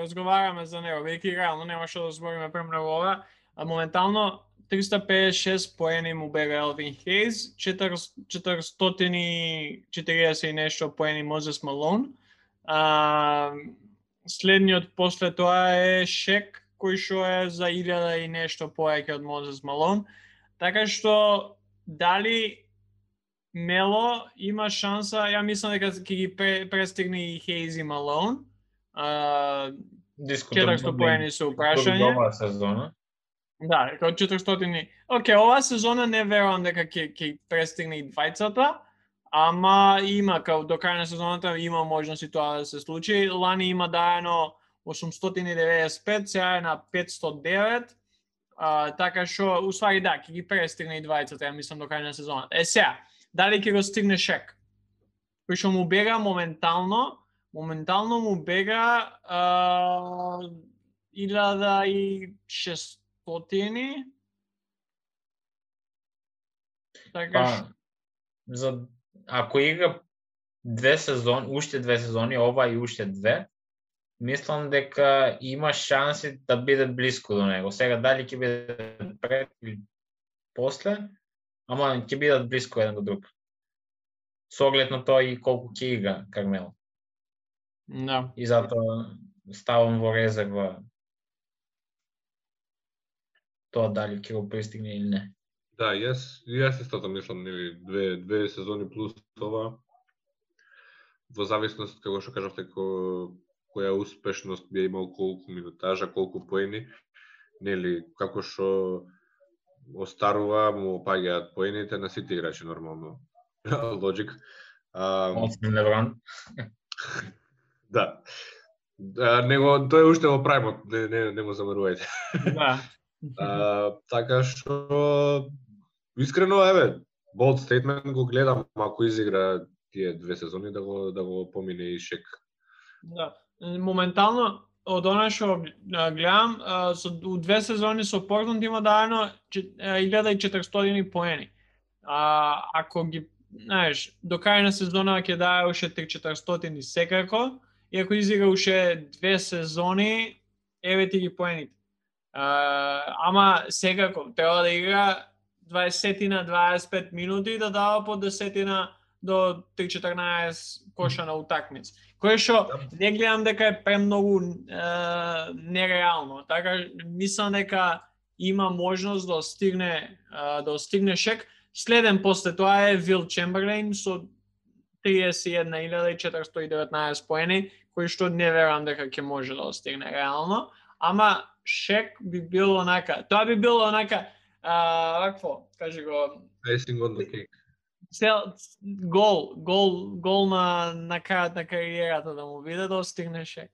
разговараме за него, веќе реално нема што да збориме премногу ова, а моментално 356 поени му бега Елвин Хейс, 440 и нешто поени Мозес Малон. Следниот после тоа е Шек, кој што е за 1000 и нешто повеќе од Мозес Малон. Така што дали Мело има шанса, ја мислам дека ќе ги престигне и Хейз и Малон. 400 поени се упрашање. Добра сезона. Да, како 400. Океј, оваа сезона не верувам дека ќе престигне и двајцата, ама има, као до крај на сезоната има можности тоа да се случи. Лани има даено 895, сега е на 509. Така што, уствари да, ќе ги престигне и двајцата, ја мислам, до крај на сезоната. Сега, дали ќе го стигне Шек? Кој што му бега моментално му бега 1600. Така ако игра уште две сезони, ова и уште две, мислам дека има шанси да биде блиско до него. Сега дали ќе биде пред или после, ама ќе бидат блиско еден до друг. Со оглед на тоа и колку ќе игра Кармело. Да. И затоа ставам во резерва тоа дали ќе го пристигне или не. Да, јас истото мислам, нели, две сезони плюс ова, во зависност, како што кажавте, која успешност би имал, колку минутажа, колку поени, нели, како што остарува, му паѓаат поените на сите играчи нормално. Логик. Освен Леброн. Да. Тој уште во праймот, не го замерувајте. Да. Така што искрено, bold statement го гледам, ако изигра тие две сезони да го помине и Шек. Да. Моментално од она што гледам, у две сезони со Портланд има дадено 1400 поени. Ако ги, знаеш, до крај на сезона ќе дае уште 3400 секако, и ако изигра уште две сезони, еве ти ги поените. Ама секако треба да игра 20 на 25 минути да дава по 10 до 3-14 коша на утакмица. Кое што не гледам дека е премногу нереално. Така мислам дека има можност да стигне Шек. Следен после тоа е Вил Чемберлейн со 31.419 поени, кои што не верувам дека ќе може да стигне реално. Ама Шек би било онака. Тоа би било онака, какво, кажи го. Icing on the cake. Гол на крајот на кариерата да му биде да стигне Шек.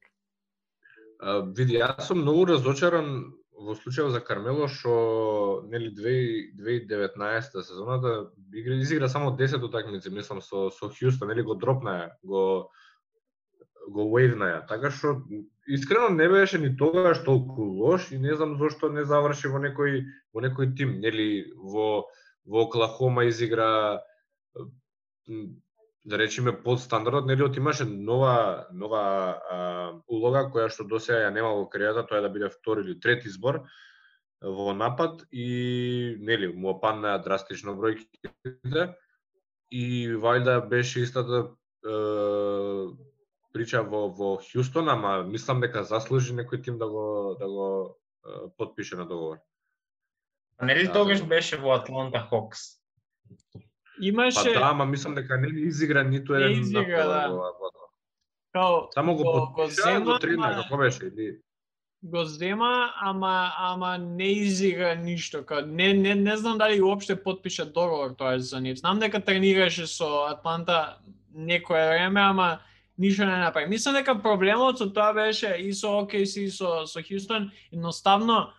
Види, јас сум многу разочаран во случајот за Кармело, што нели 2019 сезоната изигра само 10 утакмици, мислам со Хјустон, нели го дропна, го вејвна. Така што искрено не беше ни тогаш толку лош и не знам зошто не заврши во некој тим, нели во Оклахома изигра, да речеме, под стандардот, нели имаше нова улога која што досега ја нема во кариерата, тоа е да биде втори или трети избор во напад и нели му опаднаа драстично бројките и вајда беше истата прича во Хјустон, ама мислам дека заслужи некој тим да го потпише на договор. Нели тогаш беше во Атланта Хокс? Имаше... Па да, ама мислам дека не изигра ниту еден напад во Атланта. Само го потпиша, го трена, како беше, или... Го зема, ама не изигра ништо. Не знам дали уопште потпиша договор тоа за нив. Знам дека тренираше со Атланта некое време, ама ништо не направи. Мислам дека проблемот со тоа беше и со OKC и со Хјустон, едноставно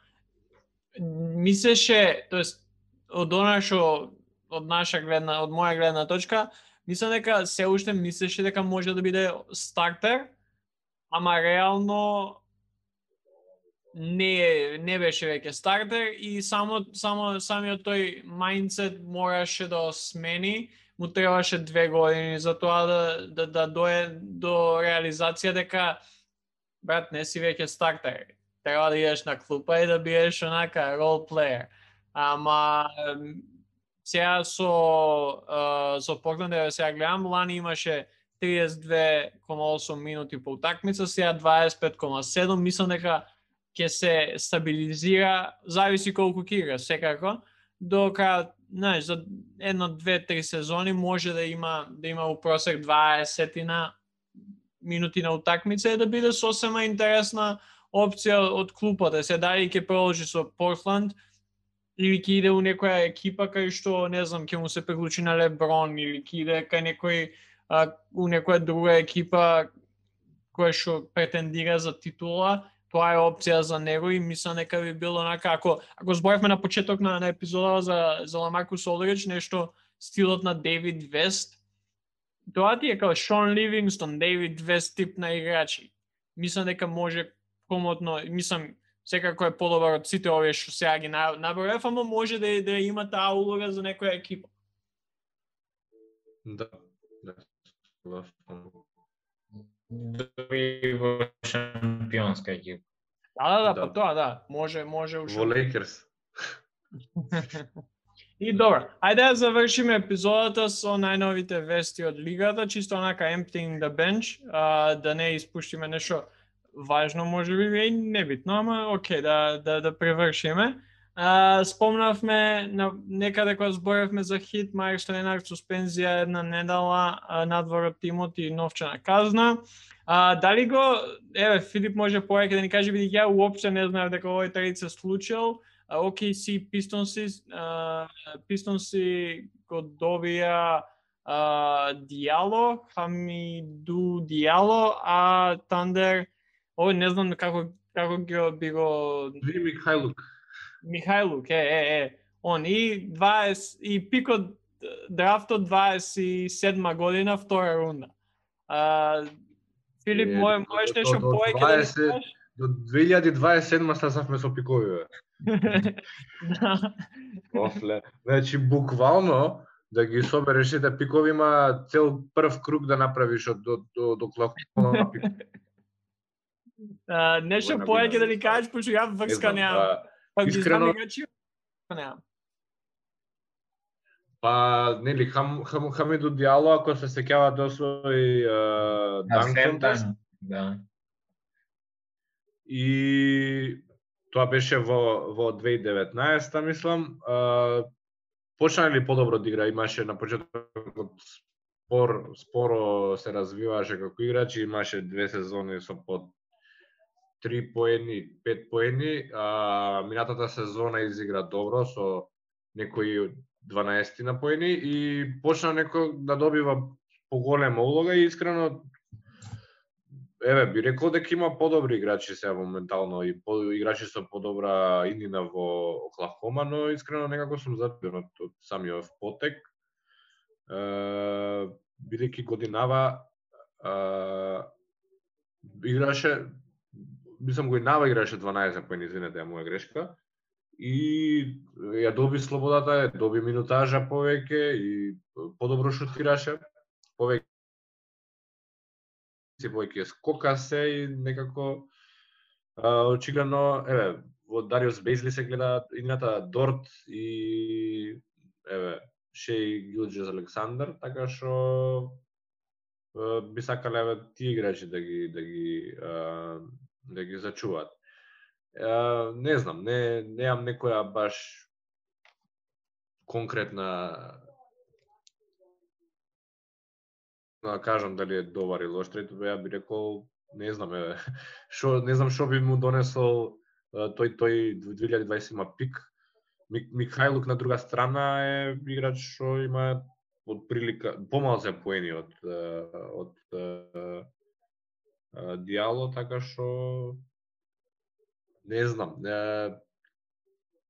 мислеше, тоест од она што од моја гледна точка, мислам дека се уште мислеше дека може да биде стартер, ама реално не беше веќе стартер и самиот тој мајндсет мораше да смени, му требаше 2 години за тоа да дое до реализација дека брат, не си веќе стартер. Треба да идеш на клупа и да бидеш онака рол плеер. Ама сега со Портланд сега гледам, лани имаше 32,8 минути по утакмица, сега 25,7, мислам дека ќе се стабилизира, зависи колку ќе игра, секако, до крај, знаеш, за 1, 2, 3 сезони може да има у просек 20 минути на утакмица и да биде сосема интересна опција од клупата. Се дали ќе продолжи со Портланд или ќе иде у некоја екипа кај што, не знам, ќе му се приклучи на Леброн или ќе иде кај у некоја друга екипа која што претендира за титула. Тоа е опција за него и мислам дека би било онака, ако зборевме на почеток на епизода за Ламаркус Олдридж, нешто стилот на Дейвид Вест, тоа ти е као Шон Ливингстон, Дейвид Вест тип на играчи. Мислам дека може комотно, мислам секако е подобар од сите овие што сега ги наброев, ама може да има таа улога за некоја екипа. Да. Дори во шампионска екипа. Да, па тоа да, може Во Лейкерс. И добро, ајде да завршиме епизодата со најновите вести од лигата, чисто онака emptying the bench, да не испуштиме нешто важно, може би и небитно, ама окей, да превршиме. Спомнавме некаде кога зборевме за Хит, Мајкс Ленард суспензија една недела, надвор од тимот и новчана казна. Дали го, Филип може повеќе да ни каже, бидејќи ја уопште не знаев дека овој трейд се случил. OKC Пистонси го добија Диало, Хамиду Диало, а Тандер, не знам како би го... Михајлук, он и 20 и пикот драфтот 27 година, втора рунда. Филип, можеш нешто повеќе да ни кажеш? До 2027 стасавме со пикови. После, значи буквално да ги собереш сите пикови, има цел прв круг да направиш до Клахома пик. Нешто повеќе да ни кажеш, пошто ја врска неам. Искрено Па, нели, Хамиду Диало, ако се сеќавате, освои данк контест. Да. И тоа беше во 2019, мислам. Почна ли подобро да игра, имаше на почетокот споро се развиваше како играч, имаше 2 сезони со по 3 поени, 5 поени, минатата сезона изигра добро со некои 12 на поени и почна некој да добива поголема улога и искрено би рекол дека има подобри играчи сега моментално и играчи со подобра иднина во Оклахома, но искрено некако сум задоволен од самиот потек. Бидејќи годинава играше, мислам годинава играше 12 поени, извинете, ја моја грешка. И ја доби слободата, ја доби минутажа повеќе и подобро шутираше, повеќе скока се и некако очигледно, во Дариус Бейзли се гледа играта Дорт и Шеј Гилџес Александар, така што би сакале тие играчи да ги зачуваат. Не знам, неам некоја баш конкретна да кажам дали е добар или лош трейд, ја би рекол, не знам што би му донесол тој 2020 пик. Михајлук на друга страна е играч што има од прилика помал се поени од Диало, така што не знам.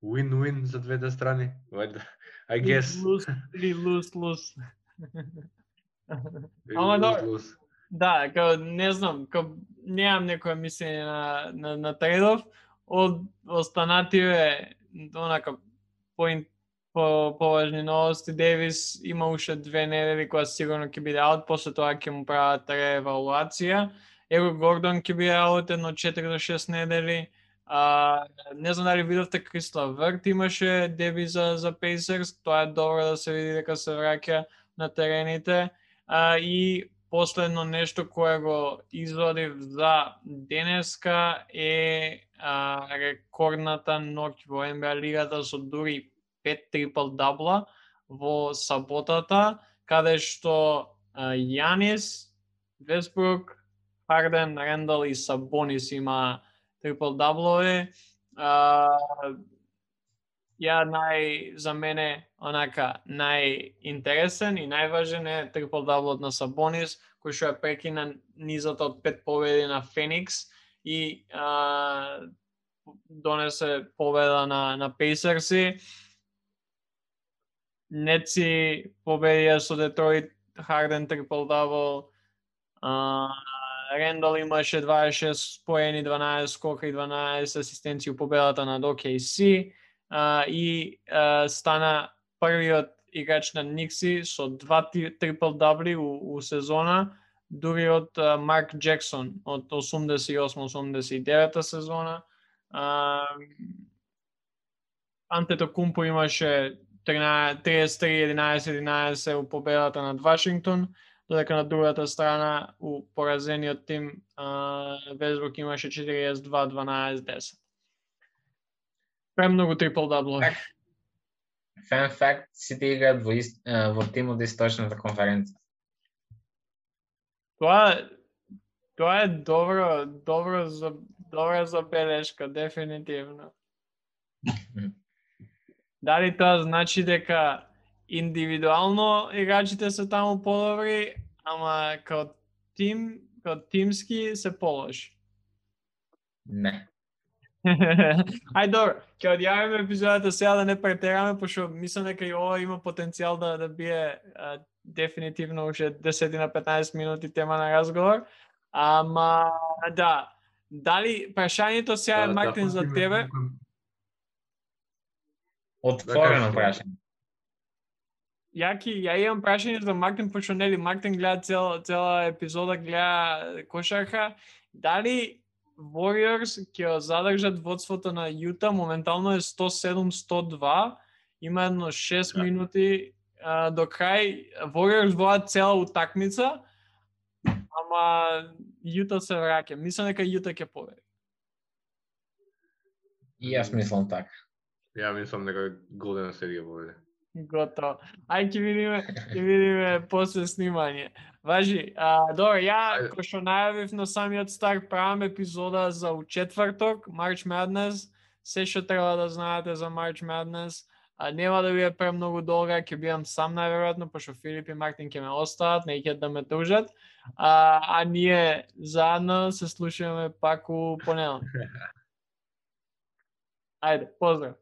Win-win за двете страни. I guess. Lose. Ама да, не знам, неам некоја мислење на трейдов. Од останативе, онака, поважни новости, Дейвис има уште 2 недели која сигурно ќе биде аут, после тоа ќе му прават реевалуација. Еро Гордон ќе биде аут едно 4 до 6 недели. Не знам дали видовте, Крисла Врт имаше деби за Pacers, тоа е добро да се види дека се враќа на терените. И последно нешто кое го извадив за денеска е рекордната ноќ во NBA лигата со дури 5 трипл-дабла во саботата, каде што Јанис, Весбрук, Харден, Рендал и Сабонис има трипл-даблови. За мене онака најинтересен и најважен е трипл-даблот на Сабонис, кој што ја прекина низата од 5 победи на Феникс и донесе победа на Пейсерси. Неци победија со Детройт, Харден трипл-дабл, Рендал имаше 26 поени, 12 скока и 12 асистенции у победата над OKC и стана првиот играч на Никси со 2 трипл-дабли у сезона, дури од Марк Джексон од 88-89 сезона. Антетокумпо имаше 33-11-11 у победата над Вашингтон, додека на другата страна у поразениот тим Весбрук имаше 42-12-10. Премногу трипл-даблови. Фан факт, сите играат во тим од Источната конференција. Тоа е добра забелешка, дефинитивно. Дали тоа значи дека индивидуално играчите се таму подобри, ама као тимски се полоши? Не. Ај добро, ќе одјавиме епизодата сега да не претераме, пошто мислам дека и ова има потенцијал да бие дефинитивно уште 10-15 минути тема на разговор. Ама да, дали прашањето сега е Мартин за тебе? Отворено прашање. Ја имам прашање за Мартин, пошто нели Мартин гледа цела епизода, гледа кошарка. Дали Warriors ќе задржат водството на Јута, моментално е 107-102, има едно 6 минути до крај. Warriors водат цела утакмица, ама Јута се враќа. Мислам дека Јута ќе победи. И јас мислам така. Ја мислам дека Голден Стейт ќе победи. Готово. Ај ќе видиме после снимање. Важи, добро, ја кој што најавив на самиот старт, правам епизода за четврток, March Madness, се што треба да знаете за March Madness. Нема да биде премногу долга, ќе бидам сам најверојатно, пошто Филип и Мартин ќе ме остават, не ќе да ме тужат. А ние заедно се слушаме пак у понеделник. Ајде, поздрав.